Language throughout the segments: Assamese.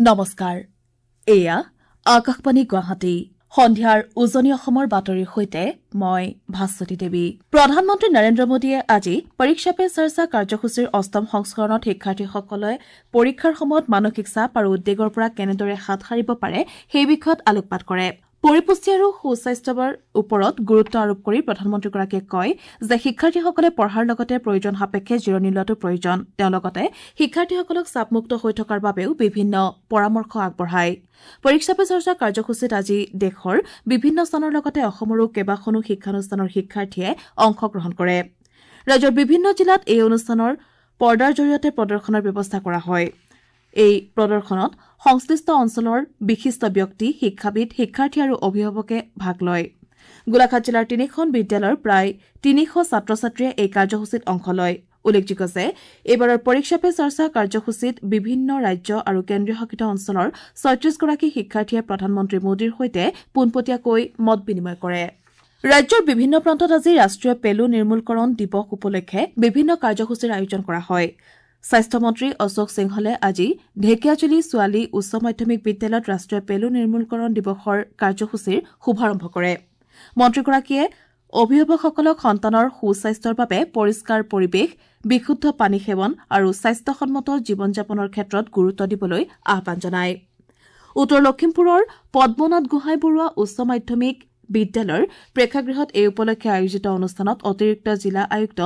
নমস্কাৰ, এয়া আকাশবাণী গুৱাহাটী। সন্ধিয়াৰ উজনি অসমৰ বাতৰিৰ সৈতে মই ভাস্বতী দেৱী। প্ৰধানমন্ত্ৰী নৰেন্দ্ৰ মোদীয়ে আজি পৰীক্ষা পে চৰ্চা কাৰ্যসূচীৰ অষ্টম সংস্কৰণত শিক্ষাৰ্থীসকলে পৰীক্ষাৰ সময়ত মানসিক চাপ আৰু উদ্বেগৰ পৰা কেনেদৰে হাত সাৰিব পাৰে সেই বিষয়ত আলোকপাত কৰে। পৰিপুষ্টি আৰু সুস্বাস্থ্যৰ ওপৰত গুৰুত্ব আৰোপ কৰি প্ৰধানমন্ত্ৰীগৰাকীয়ে কয় যে শিক্ষাৰ্থীসকলে পঢ়াৰ লগতে প্ৰয়োজন সাপেক্ষে জিৰণি লোৱাটো প্ৰয়োজন। তেওঁ লগতে শিক্ষাৰ্থীসকলক চাপমুক্ত হৈ থকাৰ বাবেও বিভিন্ন পৰামৰ্শ আগবঢ়ায়। পৰীক্ষা পে চৰ্চা কাৰ্যসূচীত আজি দেশৰ বিভিন্ন স্থানৰ লগতে অসমৰো কেইবাখনো শিক্ষানুষ্ঠানৰ শিক্ষাৰ্থীয়ে অংশগ্ৰহণ কৰে। ৰাজ্যৰ বিভিন্ন জিলাত এই অনুষ্ঠানৰ পৰ্দাৰ জৰিয়তে প্ৰদৰ্শনৰ ব্যৱস্থা কৰা হয়। এই প্ৰদৰ্শনত সংশ্লিষ্ট অঞ্চলৰ বিশিষ্ট ব্যক্তি, শিক্ষাবিদ, শিক্ষাৰ্থী আৰু অভিভাৱকে ভাগ লয়। গোলাঘাট জিলাৰ তিনিখন বিদ্যালয়ৰ প্ৰায় 300 ছাত্ৰ-ছাত্ৰীয়ে এই কাৰ্যসূচীত অংশ লয়। উল্লেখযোগ্য যে এইবাৰৰ পৰীক্ষা পে চৰ্চা কাৰ্যসূচীত বিভিন্ন ৰাজ্য আৰু কেন্দ্ৰীয় শাসিত অঞ্চলৰ 36গৰাকী শিক্ষাৰ্থীয়ে প্ৰধানমন্ত্ৰী মোদীৰ সৈতে পোনপটীয়াকৈ মত বিনিময় কৰে। ৰাজ্যৰ বিভিন্ন প্ৰান্তত আজি ৰাষ্ট্ৰীয় পেলু নিৰ্মূলকৰণ দিৱস উপলক্ষে বিভিন্ন কাৰ্যসূচীৰ আয়োজন কৰা হয়। স্বাস্থ্যমন্ত্ৰী অশোক সিংহলে আজি ঢেকীয়াজুলি ছোৱালী উচ্চ মাধ্যমিক বিদ্যালয়ত ৰাষ্ট্ৰীয় পেলু নিৰ্মূলকৰণ দিৱসৰ কাৰ্যসূচীৰ শুভাৰম্ভ কৰে। মন্ত্ৰীগৰাকীয়ে অভিভাৱকসকলক সন্তানৰ সুস্বাস্থ্যৰ বাবে পৰিষ্কাৰ পৰিৱেশ, বিশুদ্ধ পানী সেৱন আৰু স্বাস্থ্যসন্মত জীৱন যাপনৰ ক্ষেত্ৰত গুৰুত্ব দিবলৈ আহ্বান জনায়। উত্তৰ লখিমপুৰৰ পদ্মনাথ গোহাঁই বৰুৱা উচ্চ মাধ্যমিক বিদ্যালয়ৰ প্ৰেক্ষাগৃহত এই উপলক্ষে আয়োজিত অনুষ্ঠানত অতিৰিক্ত জিলা আয়ুক্ত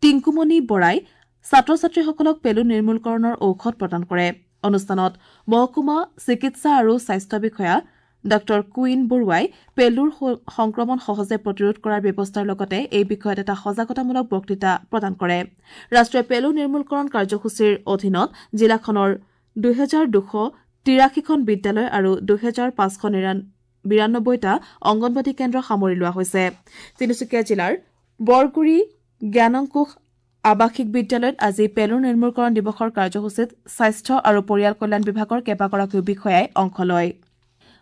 টিংকুমণি বৰাই ছাত্ৰ-ছাত্ৰীসকলক পেলু নিৰ্মূলকৰণৰ ঔষধ প্ৰদান কৰে। অনুষ্ঠানত মহকুমা চিকিৎসা আৰু স্বাস্থ্য বিষয়া ডাঃ কুইন বৰুৱাই পেলুৰ সংক্ৰমণ সহজে প্ৰতিৰোধ কৰাৰ ব্যৱস্থাৰ লগতে এই বিষয়ত এটা সজাগতামূলক বক্তৃতা প্ৰদান কৰে। ৰাষ্ট্ৰীয় পেলু নিৰ্মূলকৰণ কাৰ্যসূচীৰ অধীনত জিলাখনৰ 2283খন বিদ্যালয় আৰু 2592টা অংগনবাদী কেন্দ্ৰ সামৰি লোৱা হৈছে। তিনিচুকীয়া জিলাৰ বৰগুৰি জ্ঞানংকুশ আৱাসিক বিদ্যালয়ত আজি পেলু নিৰ্মূলকৰণ দিৱসৰ কাৰ্যসূচীত স্বাস্থ্য আৰু পৰিয়াল কল্যাণ বিভাগৰ কেইবাগৰাকীও বিষয়াই অংশ লয়।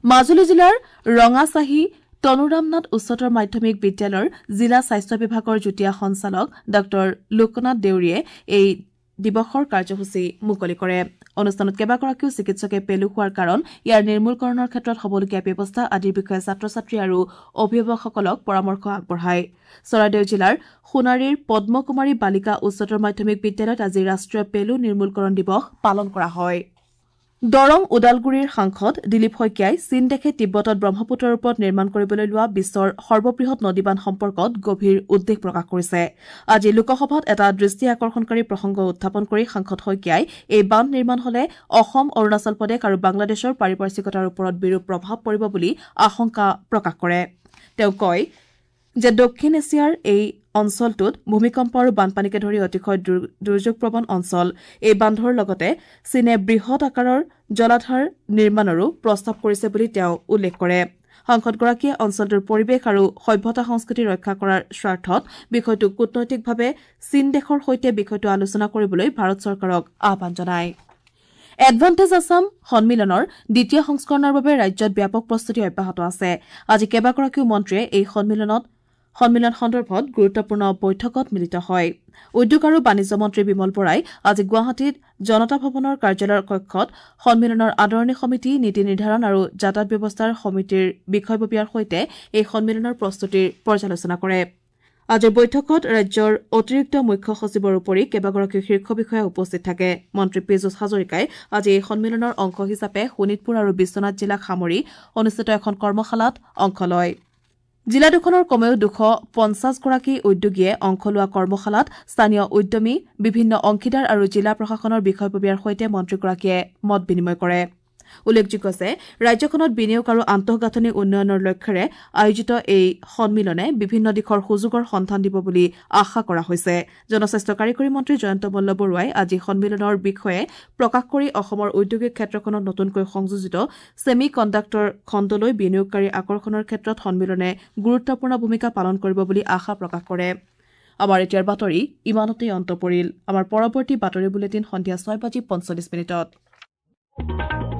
মাজুলী জিলাৰ ৰঙাচাহী তনুৰাম নাথ উচ্চতৰ মাধ্যমিক বিদ্যালয়ৰ জিলা স্বাস্থ্য বিভাগৰ যুটীয়া সঞ্চালক ডাঃ লোকনাথ দেউৰীয়ে এই দিৱসৰ কাৰ্যসূচী মুকলি কৰে। অনুষ্ঠানত কেইবাগৰাকীও চিকিৎসকে পেলু হোৱাৰ কাৰণ, ইয়াৰ নিৰ্মূলকৰণৰ ক্ষেত্ৰত হ'বলগীয়া ব্যৱস্থা আদিৰ বিষয়ে ছাত্ৰ-ছাত্ৰী আৰু অভিভাৱকসকলক পৰামৰ্শ আগবঢ়ায়। চৰাইদেউ জিলাৰ সোণাৰীৰ পদ্মকুমাৰী বালিকা উচ্চতৰ মাধ্যমিক বিদ্যালয়ত আজি ৰাষ্ট্ৰীয় পেলু নিৰ্মূলকৰণ দিৱস পালন কৰা হয়। দৰং ওদালগুৰিৰ সাংসদ দিলীপ শইকীয়াই চীন দেশে তিব্বতত ব্ৰহ্মপুত্ৰৰ ওপৰত নিৰ্মাণ কৰিবলৈ লোৱা বিশ্বৰ সৰ্ববৃহৎ নদীবান্ধ সম্পৰ্কত গভীৰ উদ্বেগ প্ৰকাশ কৰিছে। আজি লোকসভাত এটা দৃষ্টি আকৰ্ষণকাৰী প্ৰসংগ উত্থাপন কৰি সাংসদ শইকীয়াই এই বান্ধ নিৰ্মাণ হলে অসম, অৰুণাচল প্ৰদেশ আৰু বাংলাদেশৰ পাৰিপাৰ্শ্বিকতাৰ ওপৰত বিৰূপ প্ৰভাৱ পৰিব বুলি আশংকা প্ৰকাশ কৰে। তেওঁ কয় যে দক্ষিণ এছিয়াৰ এই অঞ্চলটোত ভূমিকম্প আৰু বানপানীকে ধৰি অতিশয় দুৰ্যোগপ্ৰৱণ অঞ্চল। এই বান্ধৰ লগতে চীনে বৃহৎ আকাৰৰ জলাধাৰ নিৰ্মাণৰো প্ৰস্তাৱ কৰিছে বুলি তেওঁ উল্লেখ কৰে। সাংসদগৰাকীয়ে অঞ্চলটোৰ পৰিৱেশ আৰু সভ্যতা সংস্কৃতি ৰক্ষা কৰাৰ স্বাৰ্থত বিষয়টো কূটনৈতিকভাৱে চীন দেশৰ সৈতে বিষয়টো আলোচনা কৰিবলৈ ভাৰত চৰকাৰক আহ্বান জনায়। এডভান্টেজ আছাম সন্মিলনৰ দ্বিতীয় সংস্কৰণৰ বাবে ৰাজ্যত ব্যাপক প্ৰস্তুতি অব্যাহত আছে। আজি কেইবাগৰাকীও মন্ত্ৰীয়ে এই সন্মিলন সন্দৰ্ভত গুৰুত্বপূৰ্ণ বৈঠকত মিলিত হয়। উদ্যোগ আৰু বাণিজ্য মন্ত্ৰী বিমল বৰাই আজি গুৱাহাটীত জনতা ভৱনৰ কাৰ্যালয়ৰ কক্ষত সন্মিলনৰ আদৰণি সমিতি, নীতি নিৰ্ধাৰণ আৰু যাতায়াত ব্যৱস্থাৰ সমিতিৰ বিষয়ববীয়াৰ সৈতে এই সন্মিলনৰ প্ৰস্তুতিৰ পৰ্যালোচনা কৰে। আজিৰ বৈঠকত ৰাজ্যৰ অতিৰিক্ত মুখ্য সচিবৰ উপৰি কেইবাগৰাকীও শীৰ্ষ বিষয়া উপস্থিত থাকে। মন্ত্ৰী পীযুষ হাজৰিকাই আজি এই সন্মিলনৰ অংশ হিচাপে শোণিতপুৰ আৰু বিশ্বনাথ জিলাক সামৰি অনুষ্ঠিত এখন কৰ্মশালাত অংশ লয়। জিলা দুখনৰ কমেও 250গৰাকী উদ্যোগীয়ে অংশ লোৱা কৰ্মশালাত স্থানীয় উদ্যমী, বিভিন্ন অংশীদাৰ আৰু জিলা প্ৰশাসনৰ বিষয়ববীয়াৰ সৈতে মন্ত্ৰীগৰাকীয়ে মত বিনিময় কৰে। উল্লেখযোগ্য যে ৰাজ্যখনত বিনিয়োগ আৰু আন্তঃগাঁথনি উন্নয়নৰ লক্ষ্যেৰে আয়োজিত এই সন্মিলনে বিভিন্ন দিশৰ সুযোগৰ সন্ধান দিব বুলি আশা কৰা হৈছে। জনস্বাস্থ্য কাৰিকৰী মন্ত্ৰী জয়ন্ত মল্ল বৰুৱাই আজি সন্মিলনৰ বিষয়ে প্ৰকাশ কৰি অসমৰ ঔদ্যোগিক ক্ষেত্ৰখনত নতুনকৈ সংযোজিত ছেমি কণ্ডাক্টৰ খণ্ডলৈ বিনিয়োগকাৰী আকৰ্ষণৰ ক্ষেত্ৰত সন্মিলনে গুৰুত্বপূৰ্ণ ভূমিকা পালন কৰিব বুলি আশা প্ৰকাশ কৰে। আমাৰ এতিয়াৰ বাতৰি ইমানতেই অন্ত পৰিল। আমাৰ পৰৱৰ্তী বাতৰি বুলেটিন সন্ধিয়া 6:45।